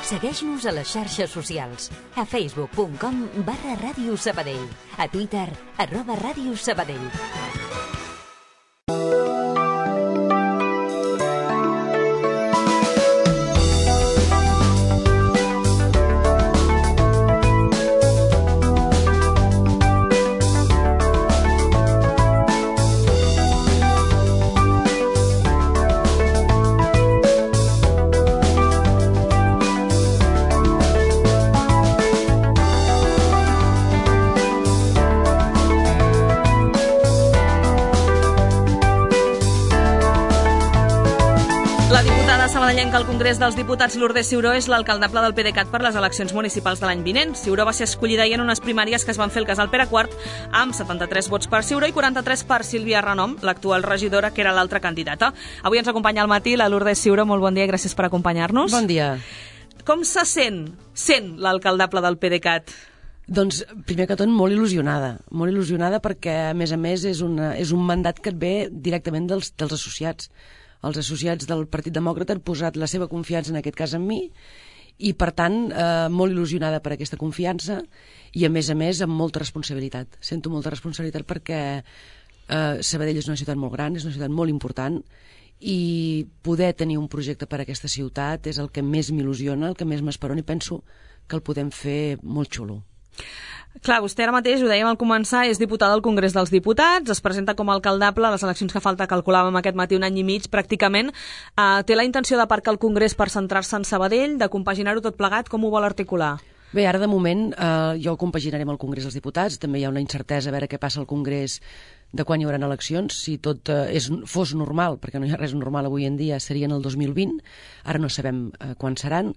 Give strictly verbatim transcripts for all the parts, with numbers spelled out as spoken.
Segueix-nos a les xarxes socials. A facebook punt com barra Ràdio Sabadell. A Twitter, arroba Ràdio Sabadell. Sabadellenca al Congrés dels Diputats, Lourdes Ciuró és l'alcaldable del PDeCAT per les eleccions municipals de l'any vinent. Ciuró va ser escollida ahir en unes primàries que es van fer al casal Pere quart amb setanta-tres vots per Ciuró i quaranta-tres per Sílvia Renom, l'actual regidora, que era l'altra candidata. Avui ens acompanya al matí la Lourdes Ciuró. Molt bon dia i gràcies per acompanyar-nos. Bon dia. Com se sent, sent l'alcaldable del PDeCAT? Doncs, primer que tot, molt il·lusionada. Molt il·lusionada perquè, a més a més, és, una, és un mandat que et ve directament dels, dels associats. Els associats del Partit Demòcrata han posat la seva confiança, en aquest cas, en mi, i, per tant, eh, molt il·lusionada per aquesta confiança i, a més a més, amb molta responsabilitat. Sento molta responsabilitat perquè eh, Sabadell és una ciutat molt gran, és una ciutat molt important, i poder tenir un projecte per a aquesta ciutat és el que més m'il·lusiona, el que més m'esperona, i penso que el podem fer molt xulo. Clar, vostè ara mateix, ho dèiem al començar, és diputada al Congrés dels Diputats, es presenta com a alcaldable a les eleccions que falta, calculàvem aquest matí un any i mig pràcticament. Uh, té la intenció d'aparcar el Congrés per centrar-se en Sabadell, de compaginar-ho tot plegat, com ho vol articular? Bé, ara de moment eh, jo compaginaré amb el Congrés dels Diputats, també hi ha una incertesa a veure què passa al Congrés de quan hi haurà eleccions. Si tot eh, és, fos normal, perquè no hi ha res normal avui en dia, serien el dos mil vint, ara no sabem eh, quan seran,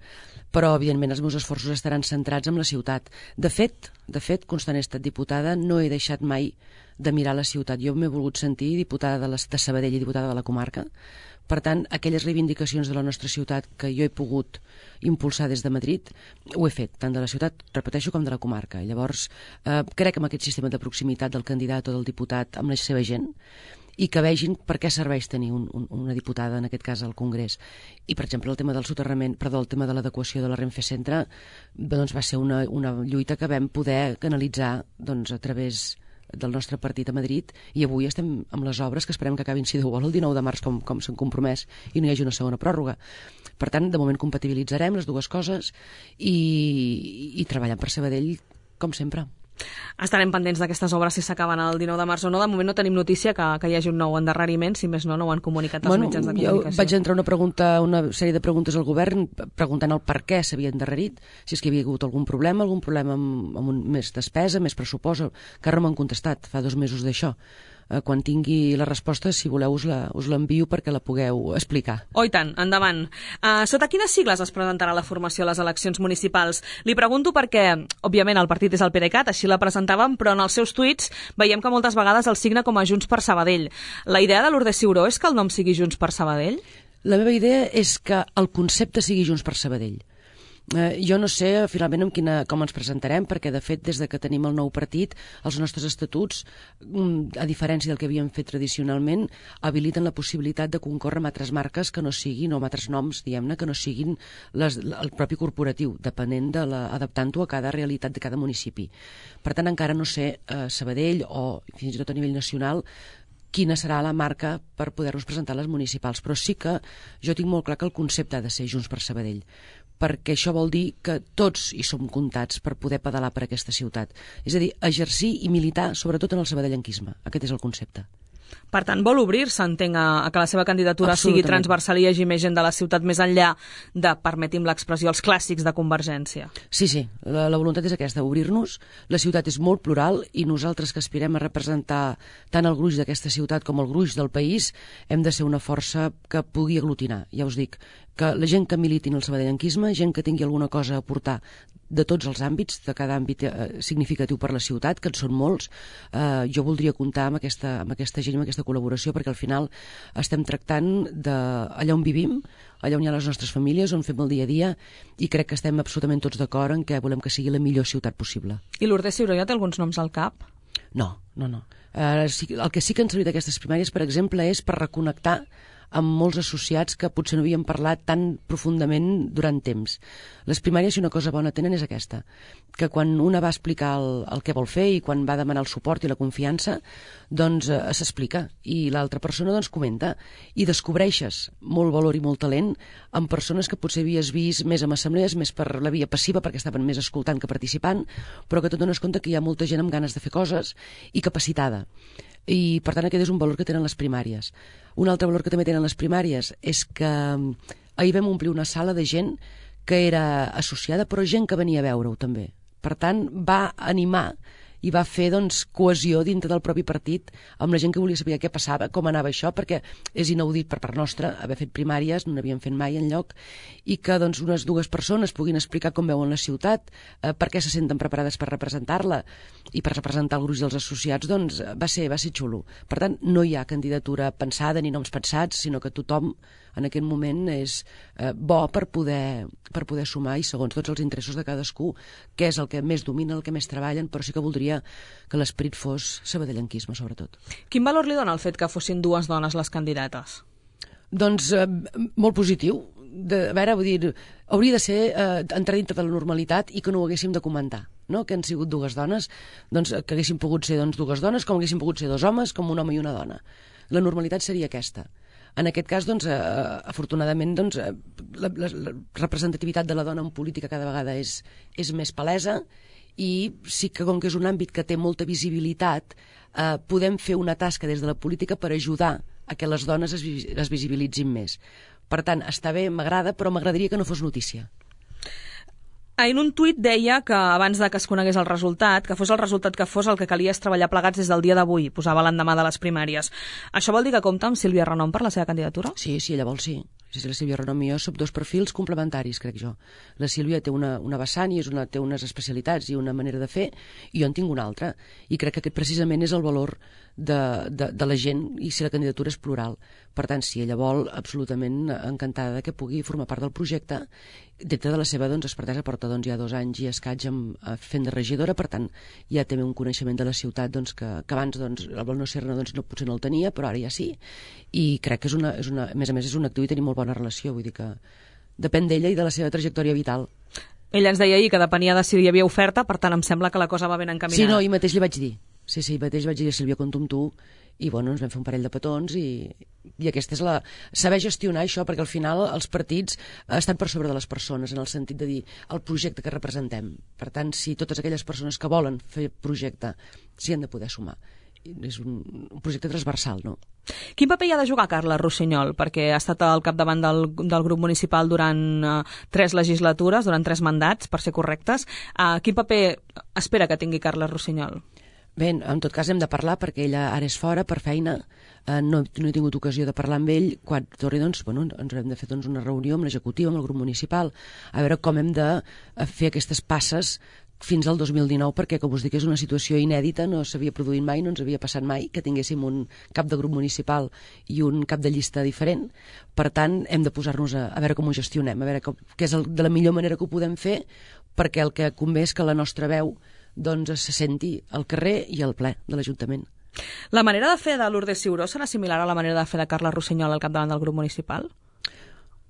però evidentment els meus esforços estaran centrats en la ciutat. De fet, de fet, constant he estat diputada, no he deixat mai de mirar la ciutat. Jo m'he volgut sentir diputada de, les, de Sabadell i diputada de la comarca. Per tant, aquelles reivindicacions de la nostra ciutat que jo he pogut impulsar des de Madrid, ho he fet, tant de la ciutat, repeteixo, com de la comarca. Llavors, eh, crec en aquest sistema de proximitat del candidat o del diputat amb la seva gent, i que vegin per què serveix tenir un, un, una diputada, en aquest cas, al Congrés. I, per exemple, el tema del soterrament, perdó, el tema de l'adequació de la Renfe Centre, doncs va ser una, una lluita que vam poder canalitzar doncs, a través del nostre partit a Madrid, i avui estem amb les obres que esperem que acabin, si Déu vol, el dinou de març, com, com s'han compromès, i no hi hagi una segona pròrroga. Per tant, de moment compatibilitzarem les dues coses i, i treballant per Sabadell, com sempre. Estarem pendents d'aquestes obres si s'acaben el dinou de març o no. De moment no tenim notícia que, que hi hagi un nou endarreriment, si més no, no ho han comunicat als bueno, mitjans de comunicació. Jo vaig entrar una pregunta, una sèrie de preguntes al govern preguntant el per què s'havia endarrerit, si és que hi havia hagut algun problema, algun problema amb, amb un, més despesa, més pressupost, que ara no m'han contestat, fa dos mesos d'això. Eh, quan tingui la resposta, si voleu, us la, us l'envio perquè la pugueu explicar. Oh, i tant, endavant. Uh, sota quines sigles es presentarà la formació a les eleccions municipals? Li pregunto perquè, òbviament, el partit és el PDeCAT, així la presentàvem, però en els seus tuits veiem que moltes vegades el signa com a Junts per Sabadell. La idea de Lourdes Ciuró és que el nom sigui Junts per Sabadell? La meva idea és que el concepte sigui Junts per Sabadell. Eh, jo no sé finalment amb quina, com ens presentarem, perquè de fet des de que tenim el nou partit els nostres estatuts, a diferència del que havíem fet tradicionalment, habiliten la possibilitat de concórrer amb altres marques que no siguin, o amb altres noms, diguem-ne, que no siguin les, el propi corporatiu, depenent de la, adaptant-ho a cada realitat de cada municipi. Per tant, encara no sé eh, Sabadell o fins i tot a nivell nacional quina serà la marca per poder-nos presentar a les municipals, però sí que jo tinc molt clar que el concepte ha de ser Junts per Sabadell, perquè això vol dir que tots hi som comptats per poder pedalar per aquesta ciutat. És a dir, exercir i militar, sobretot en el sabadellenquisme. Aquest és el concepte. Per tant, vol obrir-se, entenc, a que la seva candidatura sigui transversal i hi hagi més gent de la ciutat més enllà de, permetim l'expressió, els clàssics de Convergència. Sí, sí, la, la voluntat és aquesta, obrir-nos. La ciutat és molt plural i nosaltres que aspirem a representar tant el gruix d'aquesta ciutat com el gruix del país hem de ser una força que pugui aglutinar, ja us dic, que la gent que militi en el sabadellenquisme, gent que tingui alguna cosa a aportar de tots els àmbits, de cada àmbit eh, significatiu per la ciutat, que en són molts, eh, jo voldria comptar amb aquesta, amb aquesta gent, amb aquesta col·laboració, perquè al final estem tractant d'allà on vivim, allà on hi ha les nostres famílies, on fem el dia a dia, i crec que estem absolutament tots d'acord en que volem que sigui la millor ciutat possible. I Lourdes Ciuró ja té alguns noms al cap? No, no, no. Eh, sí, el que sí que han servit aquestes primàries, per exemple, és per reconnectar amb molts associats que potser no havien parlat tan profundament durant temps. Les primàries, si una cosa bona tenen, és aquesta, que quan una va explicar el, el que vol fer i quan va demanar el suport i la confiança, doncs eh, s'explica, i l'altra persona doncs comenta, i descobreixes molt valor i molt talent en persones que potser havies vist més en assemblees, més per la via passiva, perquè estaven més escoltant que participant, però que tu dones compte que hi ha molta gent amb ganes de fer coses i capacitada. I, per tant, aquest és un valor que tenen les primàries. Un altre valor que també tenen les primàries és que ahir vam omplir una sala de gent que era associada, però gent que venia a veure-ho també. Per tant, va animar i va fer doncs, cohesió dintre del propi partit amb la gent que volia saber què passava, com anava això, perquè és inaudit per part nostra haver fet primàries, no n'havíem fet mai enlloc, i que doncs, unes dues persones puguin explicar com veuen la ciutat, eh, per què se senten preparades per representar-la i per representar el gruix dels associats, doncs va ser, va ser xulo. Per tant, no hi ha candidatura pensada ni noms pensats, sinó que tothom en aquest moment és eh, bo per poder, per poder sumar i segons tots els interessos de cadascú, que és el que més domina, el que més treballen, però sí que voldria que l'esperit fos sabadellenquisme, sobretot. Quin valor li dona el fet que fossin dues dones les candidates? Doncs eh, molt positiu. De, a veure, vull dir, hauria de ser eh, entrar dintre de la normalitat i que no ho haguéssim de comentar, no? Que han sigut dues dones, doncs que haguessin pogut ser doncs, dues dones, com haguessin pogut ser dos homes, com un home i una dona. La normalitat seria aquesta. En aquest cas, doncs, eh, afortunadament, doncs, eh, la, la, la representativitat de la dona en política cada vegada és, és més palesa, i sí que, com que és un àmbit que té molta visibilitat, eh, podem fer una tasca des de la política per ajudar a que les dones es, es visibilitzin més. Per tant, està bé, m'agrada, però m'agradaria que no fos notícia. En un tuit deia que abans de que es conegués el resultat, que fos el resultat que fos, el que calia és treballar plegats des del dia d'avui, posava l'endemà de les primàries. Això vol dir que compta amb Sílvia Renom per la seva candidatura? Sí, sí, ella vol sí. Sí, sí, la Sílvia Renom i jo som dos perfils complementaris, crec jo. La Sílvia té una, una vessant i és una, té unes especialitats i una manera de fer, i jo en tinc una altra. I crec que aquest precisament és el valor de, de, de la gent, i si la candidatura és plural. Per tant, si ella vol, absolutament encantada que pugui formar part del projecte. Dintre de la seva doncs, expertesa porta doncs, ja dos anys i escaig amb, fent de regidora, per tant, ja té un coneixement de la ciutat doncs, que, que abans doncs, el Bol no Serna doncs, no, potser no el tenia, però ara ja sí. I crec que és una, és una, a més a més és un actiu i tenim molt bona relació, vull dir que depèn d'ella i de la seva trajectòria vital. Ella ens deia ahir que depenia de si hi havia oferta, per tant em sembla que la cosa va ben encaminada. Sí, no, ahir mateix li vaig dir. Sí, sí, mateix vaig dir a Sílvia, compto amb tu, i bueno, ens vam fer un parell de petons i, i aquesta és la... saber gestionar això, perquè al final els partits estan per sobre de les persones, en el sentit de dir el projecte que representem. Per tant, si totes aquelles persones que volen fer projecte s'hi han de poder sumar. És un, un projecte transversal, no? Quin paper hi ha de jugar Carles Rossinyol? Perquè ha estat al capdavant del, del grup municipal durant uh, tres legislatures, durant tres mandats, per ser correctes. Uh, quin paper espera que tingui Carles Rossinyol? Bé, en tot cas hem de parlar perquè ella ara és fora per feina, eh, no, no he tingut ocasió de parlar amb ell. Quan torni, doncs, bueno, ens hem de fer doncs, una reunió amb l'executiu, amb el grup municipal, a veure com hem de fer aquestes passes fins al dos mil dinou, perquè, com us dic, és una situació inèdita, no s'havia produït mai, no ens havia passat mai que tinguéssim un cap de grup municipal i un cap de llista diferent. Per tant, hem de posar-nos a, a veure com ho gestionem, a veure com, què és el, de la millor manera que ho podem fer, perquè el que convé és que la nostra veu doncs se senti al carrer i al ple de l'Ajuntament. La manera de fer de Lourdes Ciuró serà similar a la manera de fer de Carles Rossinyol al capdavant del grup municipal?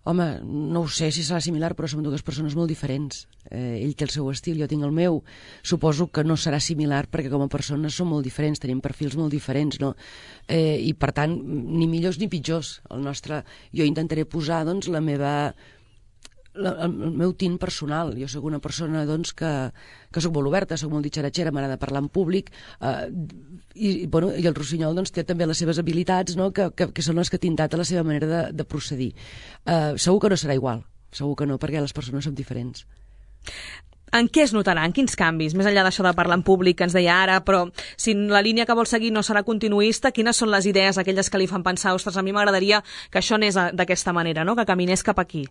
Home, no ho sé si serà similar, però som dues persones molt diferents. Eh, ell té el seu estil, jo tinc el meu. Suposo que no serà similar perquè com a persones som molt diferents, tenim perfils molt diferents, no? Eh, I per tant, ni millors ni pitjors. El nostre... Jo intentaré posar doncs, la meva... La, el meu tint personal. Jo soc una persona doncs, que, que soc molt oberta, soc molt ditxaratxera, m'agrada parlar en públic, eh, i, bueno, i el Rossinyol doncs, té també les seves habilitats, no? que, que, que són les que ha tintat a la seva manera de, de procedir. Eh, segur que no serà igual, segur que no, perquè les persones som diferents. En què es notaran? Quins canvis? Més enllà d'això de parlar en públic que ens deia ara, però si la línia que vol seguir no serà continuista, quines són les idees, aquelles que li fan pensar, ostres, a mi m'agradaria que això anés d'aquesta manera, no? Que caminés cap aquí?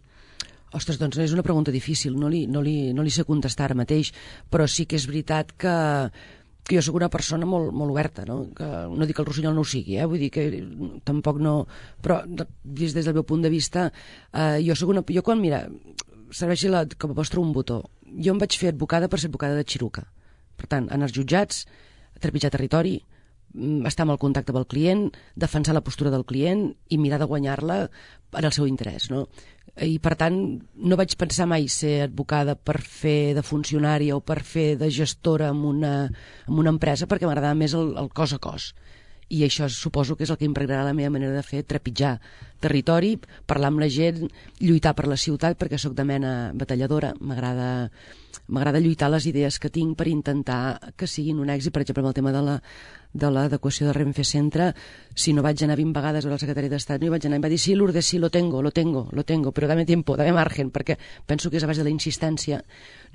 Ostres, doncs és una pregunta difícil, no li, no li, no li sé contestar ara mateix, però sí que és veritat que, que jo sóc una persona molt, molt oberta, no? Que no dic que el Rossinyol no ho sigui, eh? Vull dir que tampoc no... Però des, des del meu punt de vista, eh, jo sóc una... Jo quan, mira, serveixi la, com a vostre un botó, jo em vaig fer advocada per ser advocada de Xiruca. Per tant, anar als jutjats, trepitjar territori, estar en el contacte amb el client, defensar la postura del client i mirar de guanyar-la en el seu interès, no? I per tant no vaig pensar mai ser advocada per fer de funcionària o per fer de gestora en una, en una empresa, perquè m'agradava més el, el cos a cos. I això suposo que és el que impregnarà la meva manera de fer, trepitjar territori, parlar amb la gent, lluitar per la ciutat, perquè sóc de mena batalladora, m'agrada m'agrada lluitar les idees que tinc per intentar que siguin un èxit. Per exemple, amb el tema de la de l'adequació de Renfe Centre, si no vaig anar vint vegades a veure el secretari d'Estat, no hi vaig anar i em va dir, sí, Lourdes, sí, lo tengo, lo tengo, lo tengo, però dame tiempo, dame margen, perquè penso que és a base de la insistència,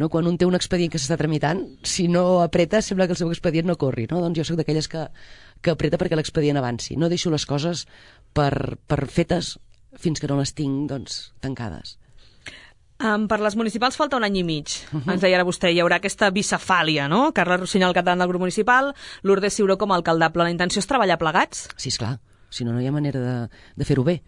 no? Quan un té un expedient que s'està tramitant, si no apreta, sembla que el seu expedient no corri, no? Doncs jo sóc d'aquelles que, que apreta perquè l'expedient avanci, no deixo les coses per, per fetes fins que no les tinc, doncs, tancades. Um, per les municipals falta un any i mig. Uh-huh. Ens deia ara vostè, hi haurà aquesta bicefàlia, no? Carles Rossinyol, al capdavant del grup municipal, Lourdes Ciuró com a alcaldable. La intenció és treballar plegats? Sí, esclar. Si no, no hi ha manera de, de fer-ho bé.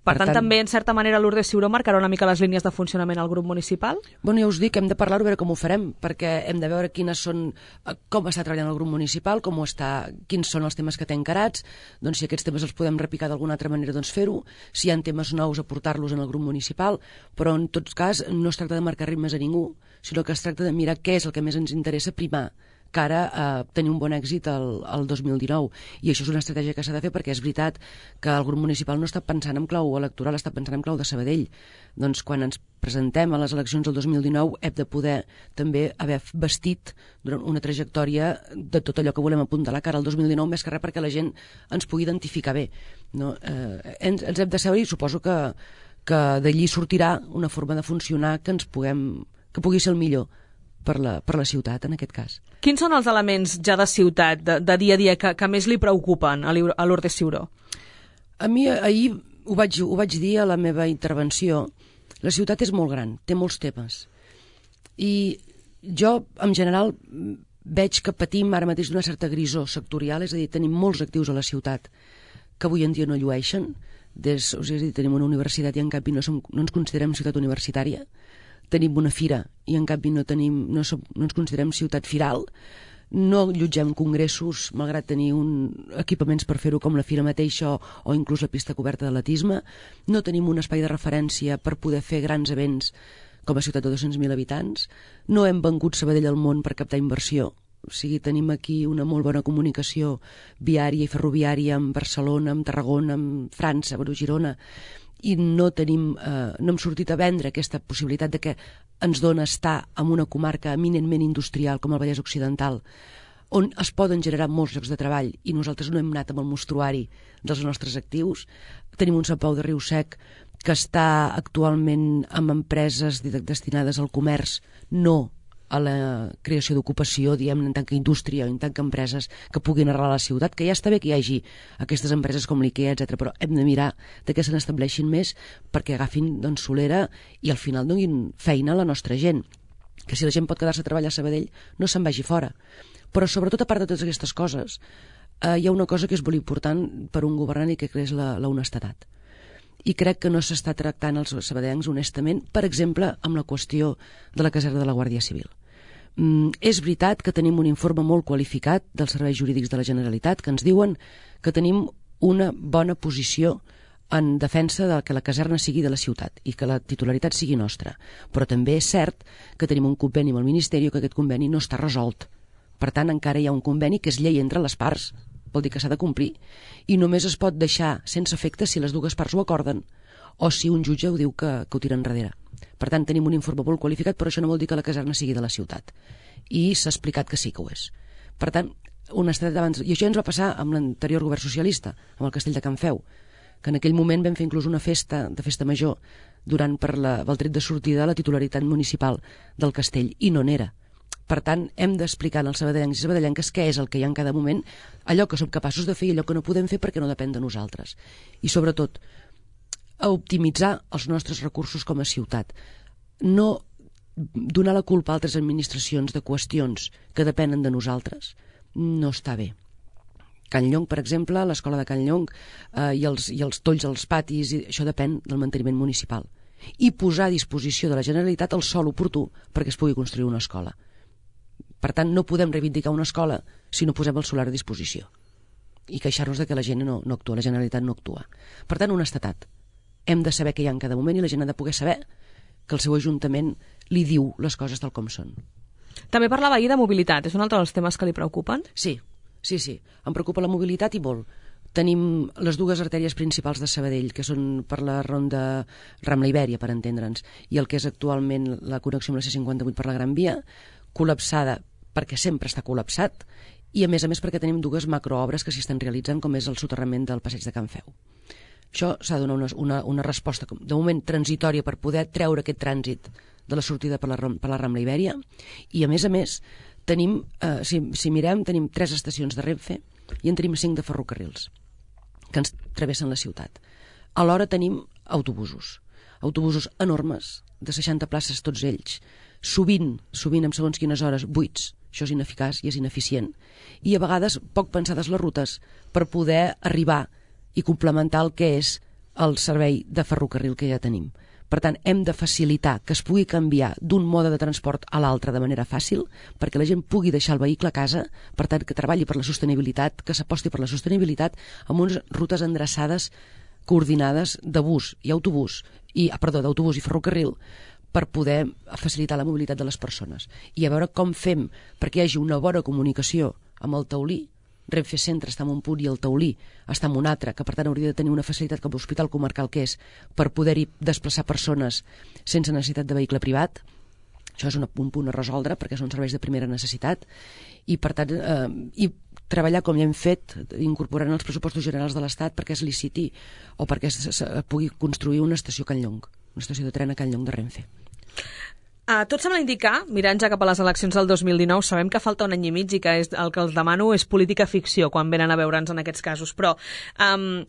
Per, per tant, tant, també, en certa manera, Lourdes Ciuró marcarà una mica les línies de funcionament al grup municipal? Bueno, ja us dic, hem de parlar-ho, a veure com ho farem, perquè hem de veure quines són, com està treballant el grup municipal, com està, quins són els temes que té encarats, doncs si aquests temes els podem repicar d'alguna altra manera, doncs fer-ho, si hi ha temes nous, aportar-los en el grup municipal, però en tot cas no es tracta de marcar ritmes a ningú, sinó que es tracta de mirar què és el que més ens interessa primar, cara a tenir un bon èxit el, el dos mil dinou. I això és una estratègia que s'ha de fer, perquè és veritat que el grup municipal no està pensant en clau electoral, està pensant en clau de Sabadell. Doncs quan ens presentem a les eleccions del dos mil dinou hem de poder també haver vestit durant una trajectòria de tot allò que volem apuntalar cara al dos mil dinou, més que res perquè la gent ens pugui identificar bé, no? Eh, ens, ens hem de saber, i suposo que, que d'allí sortirà una forma de funcionar que ens puguem, que pugui ser el millor per la, per la ciutat, en aquest cas. Quins són els elements ja de ciutat, de, de dia a dia, que, que més li preocupen a, a Lourdes Ciuró? A mi ahir ho vaig, ho vaig dir a la meva intervenció. La ciutat és molt gran, té molts temes. I jo, en general, veig que patim ara mateix d'una certa grisó sectorial, és a dir, tenim molts actius a la ciutat que avui en dia no llueixen. Des, és a dir, tenim una universitat i en canvi no, som, no ens considerem ciutat universitària. Tenim una fira i en canvi no, tenim, no, som, no ens considerem ciutat firal, no allotgem congressos malgrat tenir un, equipaments per fer-ho com la fira mateixa o, o inclús la pista coberta d'atletisme, no tenim un espai de referència per poder fer grans events com a ciutat de dos-cents mil habitants, no hem vengut Sabadell al món per captar inversió, o sigui, tenim aquí una molt bona comunicació viària i ferroviària amb Barcelona, amb Tarragona, amb França, amb Girona, i no tenim, eh, no hem sortit a vendre aquesta possibilitat de que ens dona estar en una comarca eminentment industrial com el Vallès Occidental, on es poden generar molts llocs de treball i nosaltres no hem anat amb el mostruari dels nostres actius. Tenim un Sant Pau de Riu-sec que està actualment amb empreses destinades al comerç, no a la creació d'ocupació, diguem, en tant que indústria o en tant que empreses que puguin arrelar a la ciutat, que ja està bé que hi hagi aquestes empreses com l'IKEA, etcètera, però hem de mirar de què se n'estableixin més perquè agafin, doncs, solera i al final donin feina a la nostra gent, que si la gent pot quedar-se a treballar a Sabadell no se'n vagi fora. Però sobretot, a part de totes aquestes coses, eh, hi ha una cosa que és molt important per un governant i que és la, la honestedat. I crec que no s'està tractant els sabadellencs honestament, per exemple, amb la qüestió de la caserna de la Guàrdia Civil. Mm, és veritat que tenim un informe molt qualificat dels serveis jurídics de la Generalitat que ens diuen que tenim una bona posició en defensa de que la caserna sigui de la ciutat i que la titularitat sigui nostra. Però també és cert que tenim un conveni amb el Ministeri, que aquest conveni no està resolt. Per tant, encara hi ha un conveni que és llei entre les parts, vol dir que s'ha de complir, i només es pot deixar sense efecte si les dues parts ho acorden o si un jutge ho diu que, que ho tira enrere. Per tant, tenim un informe molt qualificat, però això no vol dir que la caserna sigui de la ciutat. I s'ha explicat que sí que ho és. Per tant, honestedat abans... I això ens va passar amb l'anterior govern socialista, amb el castell de Can Feu, que en aquell moment vam fer inclús una festa, de festa major, durant per la, el tret de sortida de la titularitat municipal del castell, i no n'era. Per tant, hem d'explicar als sabadellencs i sabadellenques què és el que hi ha en cada moment, allò que som capaços de fer i allò que no podem fer perquè no depèn de nosaltres. I sobretot, a optimitzar els nostres recursos com a ciutat. No donar la culpa a altres administracions de qüestions que depenen de nosaltres no està bé. Can Llong, per exemple, l'escola de Can Llong eh, i, els, i els tolls als patis, i això depèn del manteniment municipal. I posar a disposició de la Generalitat el sòl oportú perquè es pugui construir una escola. Per tant, no podem reivindicar una escola si no posem el solar a disposició. i queixar-nos de que la gent no, no actua, la Generalitat no actua. Per tant, honestedat. Hem de saber què hi ha en cada moment i la gent ha de poder saber que el seu ajuntament li diu les coses tal com són. També parlava ahir de mobilitat, és un altre dels temes que li preocupen? Sí, sí, sí. Em preocupa la mobilitat i molt. Tenim les dues artèries principals de Sabadell, que són per la ronda Rambla-Ibèria, per entendre'ns, i el que és actualment la connexió amb la C cinquanta-vuit per la Gran Via, col·lapsada perquè sempre està col·lapsat, i a més a més perquè tenim dues macroobres que s'hi estan realitzant, com és el soterrament del passeig de Can Feu. Això s'ha de donar una, una, una resposta, de moment transitòria, per poder treure aquest trànsit de la sortida per la, per la Rambla Ibèria, i a més a més tenim, eh, si, si mirem, tenim tres estacions de Renfe i en tenim cinc de ferrocarrils que ens travessen la ciutat. Alhora tenim autobusos, autobusos enormes, de seixanta places tots ells, sovint, sovint en segons quines hores, buits. Això és ineficaç i és ineficient. I a vegades poc pensades les rutes per poder arribar i complementar el que és el servei de ferrocarril que ja tenim. Per tant, hem de facilitar que es pugui canviar d'un mode de transport a l'altre de manera fàcil, perquè la gent pugui deixar el vehicle a casa, per tant, que treballi per la sostenibilitat, que s'aposti per la sostenibilitat amb unes rutes endreçades, coordinades de bus i autobús, i, ah, perdó, d'autobús i ferrocarril, per poder facilitar la mobilitat de les persones. I a veure com fem perquè hi hagi una bona comunicació amb el Taulí. Renfe Centre està en un punt i el Taulí està en un altre, que per tant hauria de tenir una facilitat com l'hospital comarcal que és per poder-hi desplaçar persones sense necessitat de vehicle privat. Això és un punt a resoldre perquè són serveis de primera necessitat i per tant eh, i treballar com ja hem fet, incorporant els pressupostos generals de l'Estat perquè es liciti o perquè es, es, es pugui construir una estació a Can Llong, una estació de tren a Can Llong de Renfe. Uh, tot sembla indicar, mirant ja cap a les eleccions del dos mil dinou, sabem que falta un any i mig i que és, el que els demano és política ficció quan venen a veure'ns en aquests casos, però um,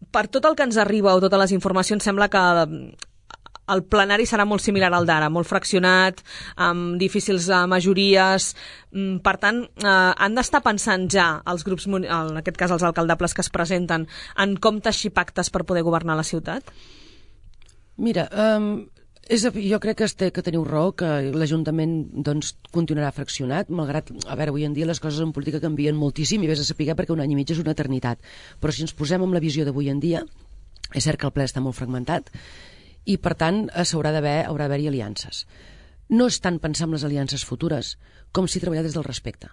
per tot el que ens arriba o totes les informacions sembla que el plenari serà molt similar al d'ara, molt fraccionat, amb difícils uh, majories. Mm, per tant, uh, han d'estar pensant ja els grups, en aquest cas els alcaldables que es presenten, en com teixir pactes per poder governar la ciutat? Mira, um, és, jo crec que, té, que teniu raó, que l'Ajuntament doncs, continuarà fraccionat, malgrat, a veure, avui en dia les coses en política canvien moltíssim i vés a saber perquè un any i mig és una eternitat. Però si ens posem amb la visió d'avui en dia, és cert que el ple està molt fragmentat, i per tant s'haurà d'haver haurà d'haver-hi aliances. No és tant pensar en les aliances futures com si treballar des del respecte.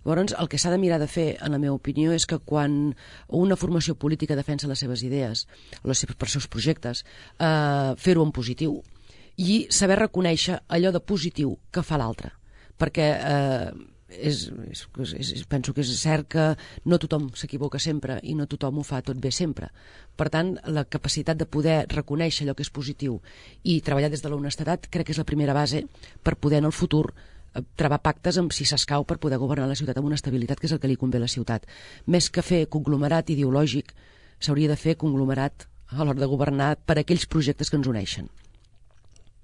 Llavors, el que s'ha de mirar de fer, en la meva opinió, és que quan una formació política defensa les seves idees, les seves, per seus projectes, eh, fer-ho en positiu i saber reconèixer allò de positiu que fa l'altre. Perquè eh, és, és, és, penso que és cert que no tothom s'equivoca sempre i no tothom ho fa tot bé sempre. Per tant, la capacitat de poder reconèixer allò que és positiu i treballar des de l'honestedat crec que és la primera base per poder en el futur travar pactes amb si s'escau per poder governar la ciutat amb una estabilitat que és el que li convé a la ciutat. Més que fer conglomerat ideològic, s'hauria de fer conglomerat a l'hora de governar per aquells projectes que ens uneixen.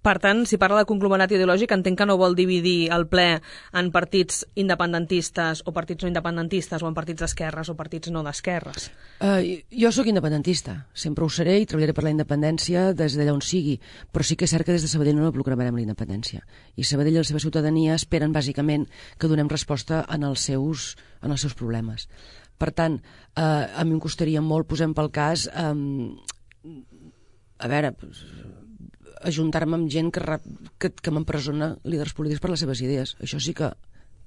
Per tant, si parla de conglomerat ideològic, entenc que no vol dividir el ple en partits independentistes o partits no independentistes o en partits d'esquerres o partits no d'esquerres. Uh, jo sóc independentista, sempre ho seré i treballaré per la independència des d'allà on sigui, però sí que és cert que des de Sabadell no proclamarem la independència. I Sabadell i la seva ciutadania esperen bàsicament que donem resposta en els seus, en els seus problemes. Per tant, uh, a mi em costaria molt, posem pel cas, um, a veure... ajuntar-me amb gent que, que, que m'empresona líders polítics per les seves idees. Això sí que,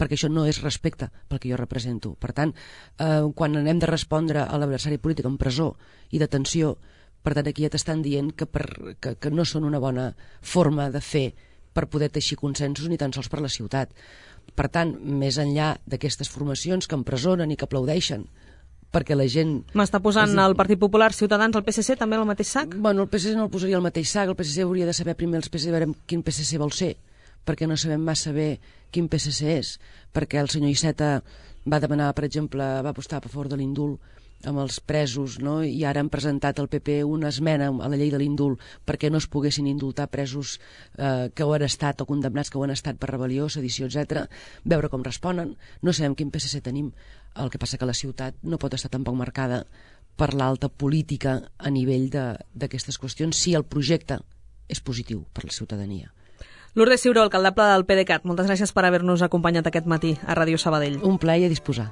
perquè això no és respecte pel que jo represento. Per tant, eh, quan anem de respondre a l'adversari polític en presó i detenció, per tant aquí ja t'estan dient que, per, que, que no són una bona forma de fer per poder teixir consensos ni tan sols per la ciutat. Per tant, més enllà d'aquestes formacions que empresonen i que aplaudeixen perquè la gent... M'està posant el Partit Popular, Ciutadans, el P S C, també al mateix sac? Bueno, el P S C no el posaria al mateix sac, el P S C hauria de saber primer els P S C, veure quin P S C vol ser, perquè no sabem massa bé quin P S C és, perquè el senyor Iceta va demanar, per exemple, va apostar a favor de l'indult amb els presos, no? I ara han presentat al P P una esmena a la llei de l'indult perquè no es poguessin indultar presos eh, que ho han estat o condemnats que ho han estat per rebel·lió, sedició, etcètera. Veure com responen. No sabem quin P S C tenim. El que passa que la ciutat no pot estar tampoc marcada per l'alta política a nivell d'aquestes qüestions si el projecte és positiu per la ciutadania. Lourdes Ciuró, alcaldable del PDeCAT, moltes gràcies per haver-nos acompanyat aquest matí a Ràdio Sabadell. Un plaer a disposar.